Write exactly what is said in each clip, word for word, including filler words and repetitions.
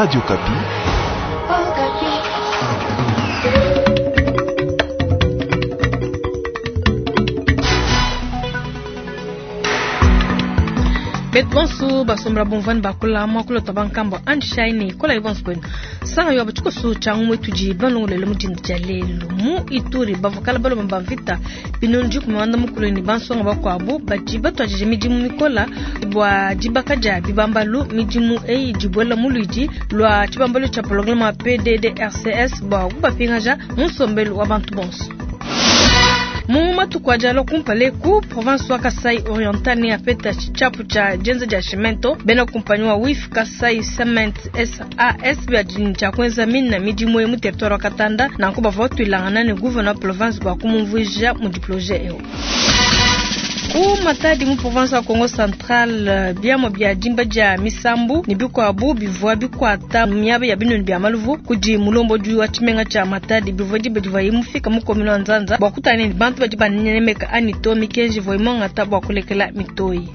Radio Okapi. Betu bonso basombela bumvani bakula mwakula twa bankambwa anshine kola ibonso kwenu sanga yo batshikoso tshia ngumwe tudi balongolele mu dinda dia lelu mu Ituri bavua balomba ba mvita binunu dikumi muanda mukulu ne bansonga bakuabu badi batuadije midimu mikola bua dibaka dia bibambalu. Midimu eyi dibuela mu luidi lua tshibambalu tshia programme wa P D D R C S bua kubapingaja mu nsombelu wa bantu bonso. Mu matuku a kumpala ku province wa Kasai Oriental ne apeta tshiapu tshia dienza dia cimento bena kumpanyi wa W I F Kasai Cement S A S bia tshia kuenza mina midimu mu territoire wa Katanda nanku bavua batuilangana ne gouverneur province bua kumumvuija mu projet eu. Ku Matadi mu province wa Kongo Central biamua bia dimba dia misambu ne bikuabu bivua bikuata miaba ya binunu bia maluvu kudi mulombodi wa tshimenga tshia Matadi bivua diba divuaye mufika mu commune wa Nzanza bua kutana ne bantu badi banemeka anito mikenji ivua imongata bua kulekela mitoyi.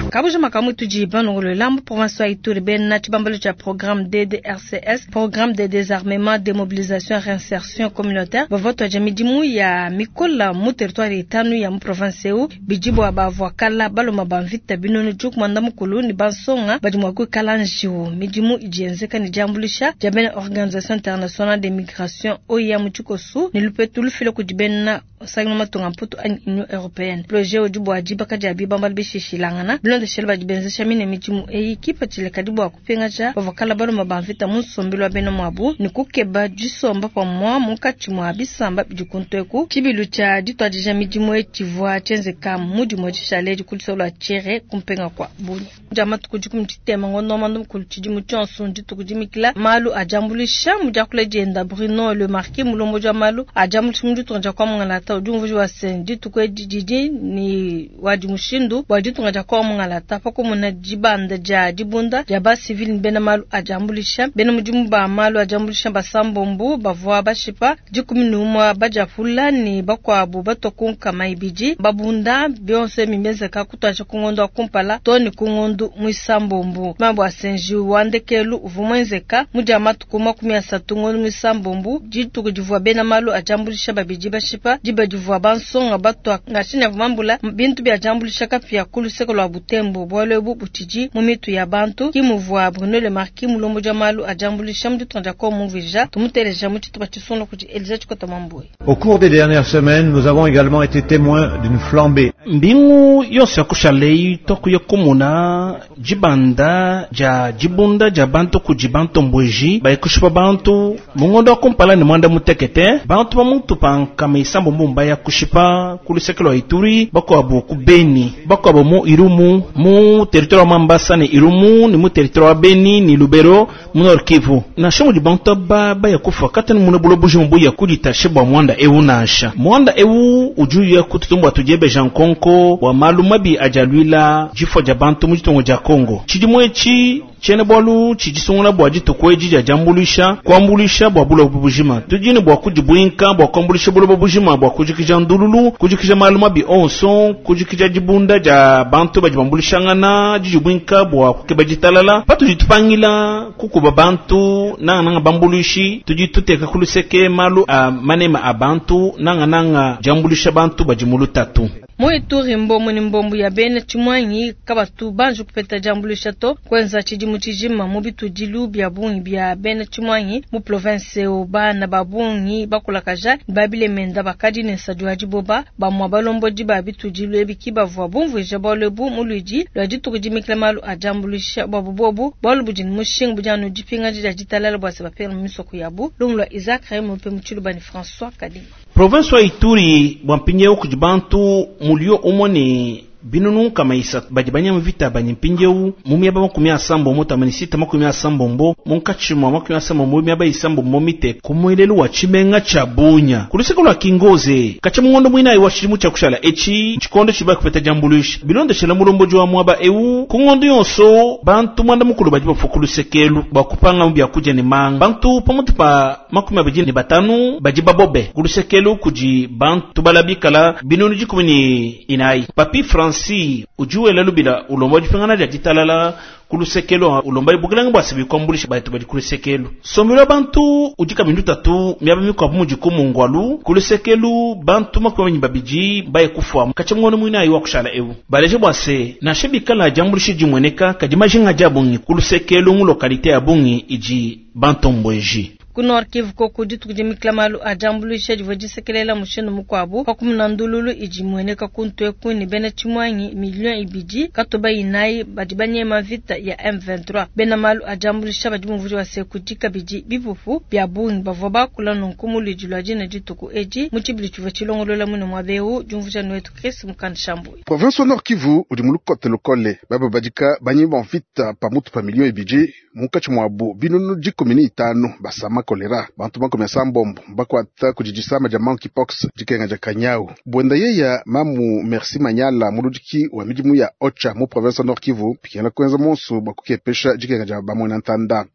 Kabuja makamu tudi balongolola mu province wa Ituri bena tshibambalu tshia programme D D R C S, programme de désarmement, démobilisation, réinsertion communautaire bavua tuadija midimu ya mikola mu territoire itanu ya mu province eu bidi bua bavua kala baloma ba mvita binunu dikumi muanda mukulu ne bansonga badi mua kuikala njiwu. Midimu idi yenzeka ne diambuluisha dia bena organisation internationale de migration O I M mu tshikosu ne lupetu lufila kudi bena sangi matunga mputu anyi Union européenne. Projet udi bua dibaka dia bibambalu bishishilangana bilondeshele badi benzesha mine midimu eyi kipatshile kadi bua kupingaja bavua kala baloma ba mvita mu nsombelu wa bena muabu ne kukeba disomba pamua munkatshi mua bisamba bidi kuntu eku. Tshibilu tshia dituadija midimu eyi tshivua tshienzeka mu dimue dishale dikulisolo lua Tchere kumpenga kua Bunia. Dia matuku dikumi tshitema ngondo wa muanda mukulu tshidimu tshionso dituku dimikila malu a diambuluisha mu diakula dienda Bruno Le Marquis mulombodi wa malu a diambuluisha mu ditunga dia kwa Mungalata udi umvuija wa se dituku edi didi ni wadi mushindu bua ditunga dia kwa Mungalata pa kumona dibanda dia dibunda dia ba civil ne bena malu a diambuluisha bena mudimu ba malu a diambuluisha basambombu bavua bashipa dikumi ne umue badiapula ne bakuabu batua ku nkama ibidi babunda bionso mimezeka kutuadija ku ngondo wa kumpala to ne ku ngondo muisambombu. Mambo a senji wa ndekelu uvua muenzeka mu dia matuku makumi asatu ngondo muisambombu dituku divua bena malu a diambuluisha babidi bashipa diba divua bansonga batua ngashini mambula bintu bia diambuluisha kapia ku luseke lua Butembo bualu ebu butshidi mu mitu ya bantu kimuvua Bruno Le Marquis mulombodi wa malu a diambuluisha mu ditunga dia Kongo mumvuija tumuteleja mu tshitupa tshisungula kudi Elisa Tshikota Mwambwe. Au cours des dernières semaines, nous avons également été témoins d'une flambée. Mbingu yonso ya kushalei toku ya kumuna dibanda dia dibunda dia bantu kudi bantu mbweji bayikushipa bantu mungondo wa kumpala ne mwanda mutekete bantu ba mutu pa nkama isambo mbumba ya kushipa ku luseke lua Ituri bakuabu ku Beni bakuabu mu Irumu mu territoire wa Mambasa ne Irumu ne mu territoire wa Beni ne Lubero mu Nord Kivu nansha mudi bantu aba baya kufa kata ne muna bulobo bujima buya kuditashe bua mwanda ewu nansha mwanda ewu udi uya kututumbua tudiebeja nkonko wa malu mabi ajaluila jifua dia bantu mu ditunga dia Kongo tshidimu etshi tshiena bualu tshidisungula bua dituku edi dia diambuluisha kuambuluisha bua buloba bujima tudi ne bua kudibuinka bua kuambuluisha buloba bujima bua kujikija ndululu kujikija malu mabi onso kujikija dibunda dia bantu badi bambuluishangana didibuinka bua kukeba ditalala patudi tupangila kukuba bantu nangananga bambuluishi tudi tuteka ku luseke malu a manema a bantu nangananga diambuluisha bantu badi mu lutatu. Mu Ituri mbombo ne mbombo ya bena tshimwanyi kabatu banji kupeta diambuluisha to kwenza tshidimu tshijima mu bitudilu bia bungi bia bena tshimwanyi mu province eu bana ba bungi bakulakaja babilemenda bakadi ne nsadi wa diboba bamua balombodi ba bitudilu ebi ki bavua bumvuija bualu ebu mu luidi lua dituku dimikila malu a diambuluisha buabu bobu bualu budi ne mushinga budi anu dipingaja dia ditalala bua se bapela mu misoko yabu. Lumu lua Isaac Raymond Mpe mu Tshiluba ne François Kadima. Province wa Ituri bua mpindieu kudi bantu mulio umue ne binunu nkama isatu badi banyama vita bani mpindieu mu miaba makumi asambombo tamani sita makumi asambombo munkatshi mua makumi asambombo miaba isambombo mite ku muelelu wa tshimenga tshia Bunia ku luseke lua Kingoze katshia mungondo muinayi wa tshidimu tshia kushala etshi tshikondo tshiba kupeta diambuluisha bilondeshela mulombodi wa muaba ewu ku ngondo yonso bantu muanda mukulu badi bafua ku lusekelu bua kupanga mu biakudia ne manga bantu pamutu pa makumi abidi ne batanu badi babobe ku lusekelu kudi bantu balabikala binunu dikumi ne inayi Papi François Francis udi wela lubila ulomba dipingana dia ditalala ku lusekelo ulomba bukelenge bua se bikuambulisha batu badi ku lusekelo sombelo bantu udi kabindu tatu miaba mikuabu mudi ku mungwalu ku lusekelo bantu makumi babidi baye kufua katshia ngono muina ayi wa kushala ewu baleje bua se nansha bikala diambulisha dimueneka kadi majinga dia bungi ku lusekelo mu localité ya bungi idi bantombweji. Ku Nord Kivu koku dituku dimikila malu a diambuluisha divua disekelela mushindu mukuabu pa kumuna ndululu idi imueneka kuntu eku ne bena tshimuangi million ibidi katoba inayi badi banyema mvita ya M vingt-trois. Bena malu a diambuluisha badi bumvuija bua se kudi kabidi bipupu bia bungi bavua bakula nunku mu luidi lua dina dituku edi mu tshibilu tshivua tshilongolola mune muaba eu. Diumvuija nuetu Chris Mukanda Shambuyi. Province wa Nord Kivu udi mu lukote lukole baba badika banyema mvita pamutu pa million ibidi munkatshi muabu binunu dikumi ne itanu basama kolera bantu makumi asambombo bakwata kudi disama dia monkeypox dikenga dia kanyau. Bwenda yeya mamu Merci Manyala muludiki wa midimu ya Ocha mu province Nord Kivu pikela kwenza monso bakukepesha dikenga dia bamwena ntanda.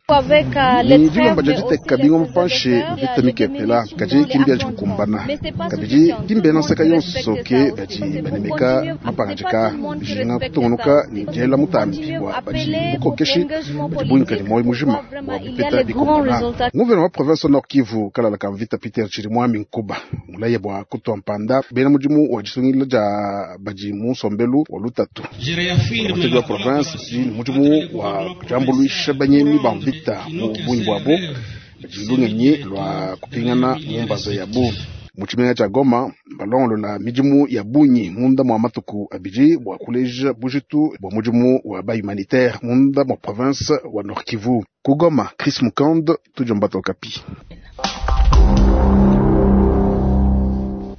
Ni dilomba dia diteka bingo mupanshe mvita mikepela kadi kimbia dikukumbana kabidi dimbena nseka yonso ke badi banemeka mapangajika bijinga kutungunuka ni diela mutambi wa badi bukokeshi badi buinka ni moyo mujima wa bipeta bikumbana. Nguvena wa province Nord Kivu kalala ka mvita Peter Chirimwami Nkuba mulaye bwa kutwa mpanda bena mudimu wa disungila dia badi mu nsombelu wa lutatu. Mutedi wa province di mudimu wa diambuluisha banyemi ba mvita mu bungi bwabo badi lungenyi lwa kupingana mu mbaza yabu. Mu tshimenga tshia Goma balongolola midimu ya bungi munda mwa matuku abidi bua kuleja bujitu bua mudimu wa ba humanitaire munda mwa province wa Nord Kivu. Ku Goma, Chris Mukand, Tudiomba Okapi.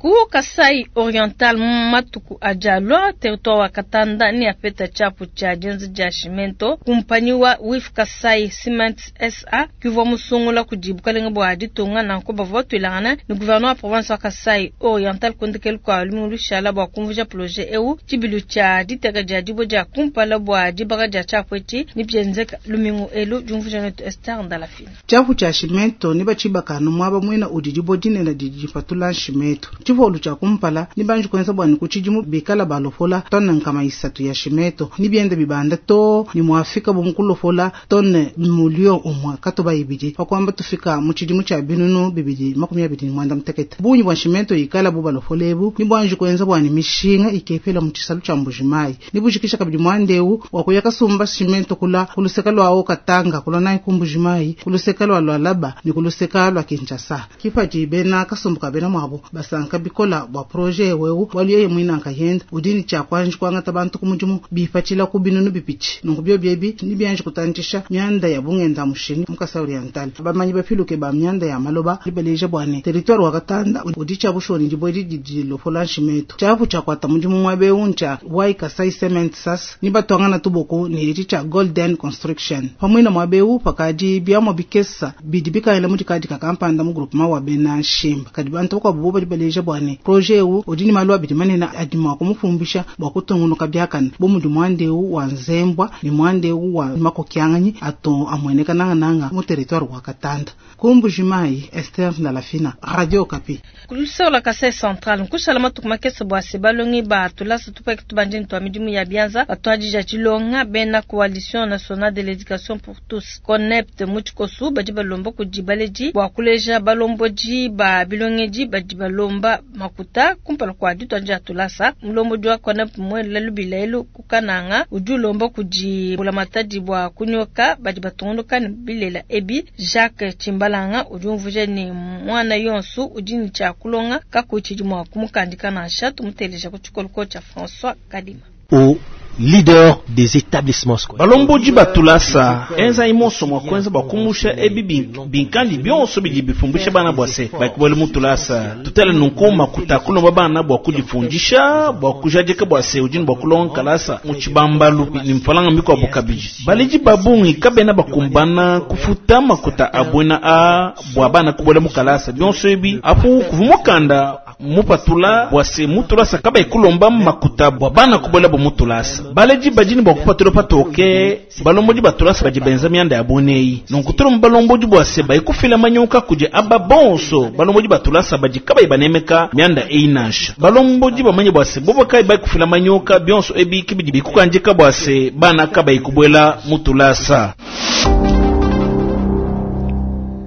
Ku Kasai Oriental matuku ajalwa territoire wa Katanda ni apeta chapu cha jenzi ja cimento kumpanyi wa Wif Kasai Cement S A kivwa musungula kujibu kalenga bwa ditunga na nko bavwa twilangana ni gouverneur wa province wa Kasai Oriental kondekelu kwa lumu shala bwa kumvuja projet eu chibilu cha diteka ja dibo ja kumpala bwa dibaka ja chapu eti ni byenzeka lumingu elu jumvuja netu Esther Ndalafina. Chapu cha cimento ni bachibaka no mwaba mwina udidibo dinena didipatula cimento chivolu cha kumpala ni banji kwenza bwani kuchijimu bikala balofola tonne nkama isatu ya shimeto ni biende bibanda to ni muafika bumukulofola tonne mulio umwe katoba ibidi pakwamba tufika mu chijimu cha binunu bibidi makumi abiri ni mwanda mutekete bunyi bwa shimento ikala bu balofola ebu ni bwanji kwenza bwani mishinga ikepela mu chisalu cha Mbujimayi ni bujikisha kabidi mwandeu wakuya kasumba shimento kula kuluseka lwawo Katanga kula nayi ku Mbujimayi kuluseka lwa Lwalaba ni kuluseka lwa Kinshasa kipaji bena kasumbuka bena mwabo basanka bikola bwa projet wewu waliyeye mwina nkayenda udini cha kwanji kwangata bantu kumujumu bipachila ku binunu bipichi nungu byo byebi ni byanje kutantisha myanda ya bungenda mushini mukasa oriental bamanyi bapiluke ba myanda ya maloba libeleja bwane territoire wa Katanda udicha bushoni dibodi didilo fola nshimeto chapu cha kwata mujumu mwabe uncha wai Kasai Cement sas ni batwangana tuboko ni iti cha Golden Construction pamwina mwabe u pakaji byamo bikesa bidibika ile mudikadi kakampanda mu groupement wa bena shimba kadi bantu kwa bubo libeleja bwane projet u odini malu abidi manena adima kumufumbisha bwa kutungunuka byakana bo mudu mwande u wa Nzembwa ni mwande u wa Makokyanganyi ato amweneka nanga nanga mu territoire wa Katanda. Kumbujimayi Esther Ndalafina, Radio Okapi. Kulusela Kasai Central nkushala matuku makese bwa se balongi ba tulasa tupeke tubanjini twa midimu ya bianza batwadija chilonga bena Coalition Nationale de l'Education pour Tous CONEPT muchikosu badi balomba kudibaleji bwa kuleja balomboji ba bilongeji badi balomba makuta kumpala kwa ditwanja tulasa mulombo jwa CONEPT mwela lubila elu kukananga udi ulomba kudi bulamatadi bwa kunyoka badi batungunuka ne bilela ebi Jacques Chimbalanga udi umvuja ni mwana yonsu udi ni cha kulonga kakuchidi mwa kumukandika na shatu muteleja ku chikoloko cha François Kadima. Au leader des établissements scolaires. Balomboji batulasa enza imoso mwa kwenza bakumusha ebi binkandi byonso bidi bifumbisha bana bwase bakubole mutulasa tutele nunkuma kutakulomba bana bwa kujifundisha bwa kujadika bwase ujini bwa kulonga kalasa mu chibambalu ni mfalanga mbiko abukabiji baliji babungi kabena bakumbana kufuta makuta abwena a bwa bana kubole mukalasa byonso ebi apu kuvumukanda mupatula bwase mutulasa kaba ikulomba makuta bwa bana kubola bo mutulasa. Baledi badi ne bua kupatula patoke balombodi ba tulasa badi benza mianda ya bueneyi. Nunku tulomba balombodi bua se bayikufila manyuka kudi aba bonso balombodi ba tulasa badi kabayi banemeka mianda eyi nansha. Balombodi bamanye bua se bobo kayi bayikufila manyuka bionso ebi kibidi bikukandika bua se bana kabayi kubuela mu tulasa.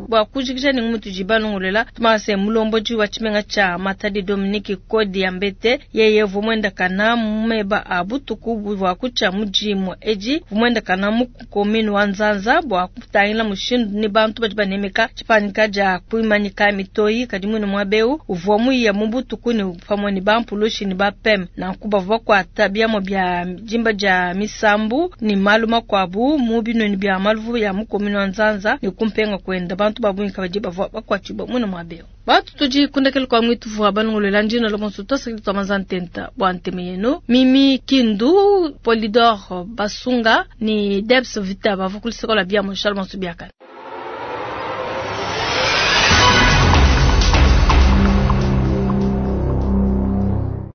Bua kujikija ne ngumu tudi balongolela tumase mulombodi wa tshimenga tshia Matadi Dominique Kodi ya Mbete yeye vumwenda kana mumeba a butuku bua kutshia mudimu edi vumwenda kana mu commune wa Nzanza bua kutangila mushindu ni bantu badi banemeka tshipanika dia kuimanyika mitoyi kadi mwine mwabeu uvua muya mu butuku ne pamue ne bampulushi ne bapem nanku bavua bakuata biamua bia jimba dia misambu ni malu makuabu mu binoni bia maluvu ya mu commune wa Nzanza ne kumpenga kwenda bantu babungi kabadi bavua bakuatshibua mwine mwabeu. Batu tudi kundekele kwa mwitu vua balongolela ndina lomonso tosakili twa mazantenta bua nteme yenu Mimi Kindu Polidor Basunga ni Debs Vita bavua kulisekola bia Shalom Subiakana.